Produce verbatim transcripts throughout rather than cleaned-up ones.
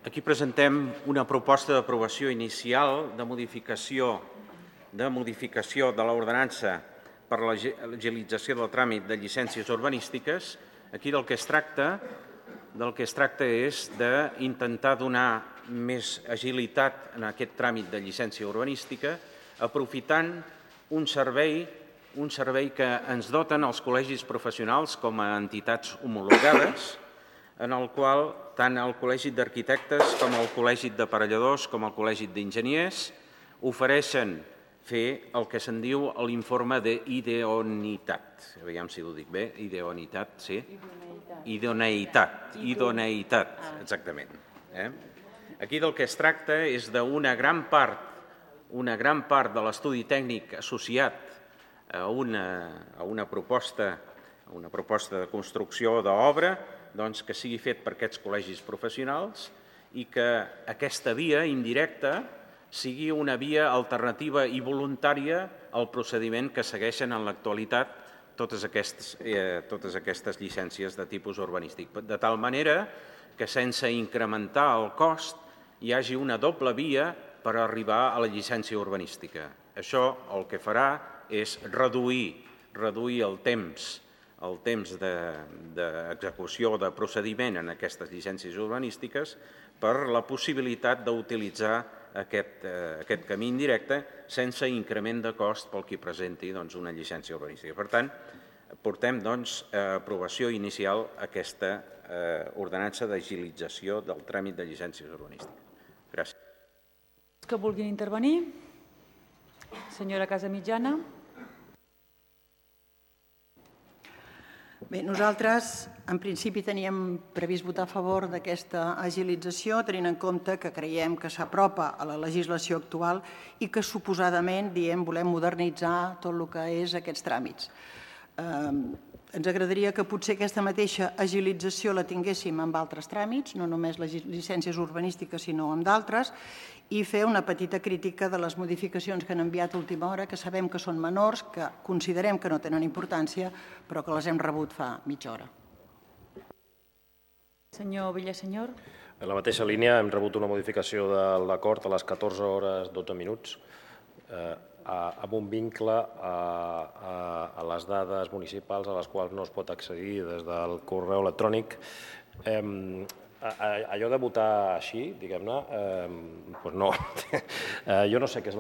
Aquí presentem una proposta d'aprovació inicial de modificació de modificació de l'ordenança per a l'agilització del tràmit de llicències urbanístiques. Aquí del que es tracta, del que es tracta és d'intentar donar més agilitat en aquest tràmit de llicència urbanística, aprofitant un servei, un servei que ens doten els col·legis professionals com a entitats homologades, en el qual tant el Col·legi d'Arquitectes com el Col·legi d'Aparelladors com el Col·legi d'Enginyers ofereixen fer el que se'n diu l'informe d'idoneïtat. Aviam si ho dic bé, idoneïtat, sí? Idoneïtat. Idoneïtat, exactament. Aquí del que es tracta és d'una gran part, una gran part de l'estudi tècnic associat a una proposta, a una proposta de construcció d'obra, doncs que sigui fet per aquests col·legis professionals i que aquesta via indirecta sigui una via alternativa i voluntària al procediment que segueixen en l'actualitat totes aquestes, eh, totes aquestes llicències de tipus urbanístic, de tal manera que sense incrementar el cost hi hagi una doble via per arribar a la llicència urbanística. Això el que farà és reduir, reduir el temps el temps d'execució de procediment en aquestes llicències urbanístiques per la possibilitat d'utilitzar aquest camí indirecte sense increment de cost pel qui presenti una llicència urbanística. Per tant, portem a aprovació inicial aquesta ordenança d'agilització del tràmit de llicències urbanístiques. Gràcies. Que vulguin intervenir? Senyora Casamitjana. Bé, nosaltres en principi teníem previst votar a favor d'aquesta agilització, tenint en compte que creiem que s'apropa a la legislació actual i que suposadament diem volem modernitzar tot el que és aquests tràmits. Ens agradaria que potser aquesta mateixa agilització la tinguéssim amb altres tràmits, no només les llicències urbanístiques sinó amb d'altres, i fer una petita crítica de les modificacions que han enviat a última hora, que sabem que són menors, que considerem que no tenen importància, però que les hem rebut fa mitja hora. Senyor Villasenyor. En la mateixa línia hem rebut una modificació de l'acord a les catorze hores dotze minuts amb un vincle a les dades municipals a les quals no es pot accedir des del correu electrònic. Allò de votar així, diguem-ne, doncs no. Jo no sé què és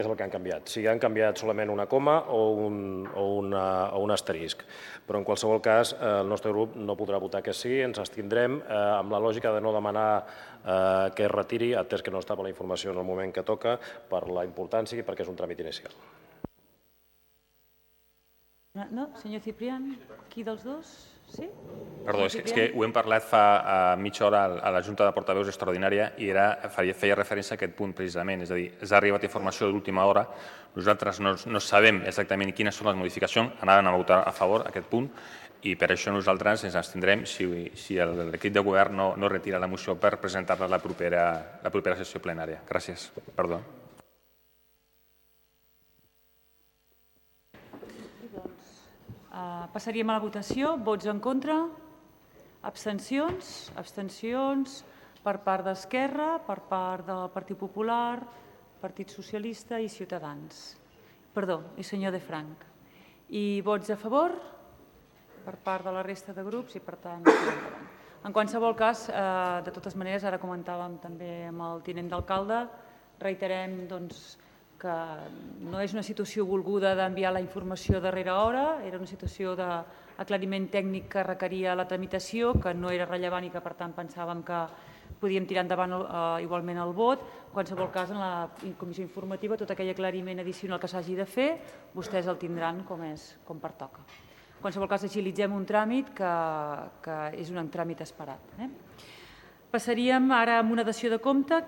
el que han canviat. Si han canviat solament una coma o un asterisc. Però en qualsevol cas, el nostre grup no podrà votar que sí, ens abstindrem amb la lògica de no demanar que es retiri, atès que no estava la informació en el moment que toca, per la importància i perquè és un tràmit inicial. No, senyor Ciprián, qui dels dos? Sí? Perdó, és que ho hem parlat fa mitja hora a la Junta de Portaveus extraordinària i feia referència a aquest punt precisament, és a dir, ens ha arribat informació d'última hora, nosaltres no sabem exactament quines són les modificacions, anàvem a votar a favor d'aquest punt i per això nosaltres ens abstindrem si l'equip de govern no retira la moció per presentar-la a la propera sessió plenària. Gràcies. Perdó. Passaríem a la votació. Vots en contra? Abstencions? Abstencions per part d'Esquerra, per part del Partit Popular, Partit Socialista i Ciutadans. Perdó, i senyor De Frank. I vots a favor? Per part de la resta de grups i per tant... En qualsevol cas, de totes maneres, ara comentàvem també amb el tinent d'alcalde, reiterem doncs que no és una situació volguda d'enviar la informació a darrera hora, era una situació d'aclariment tècnic que requeria la tramitació, que no era rellevant i que per tant pensàvem que podíem tirar endavant igualment el vot. En qualsevol cas, en la comissió informativa, tot aquell aclariment addicional que s'hagi de fer, vostès el tindran com pertoca. En qualsevol cas, agilitzem un tràmit que és un tràmit esperat. Passaríem ara a una dació de compte.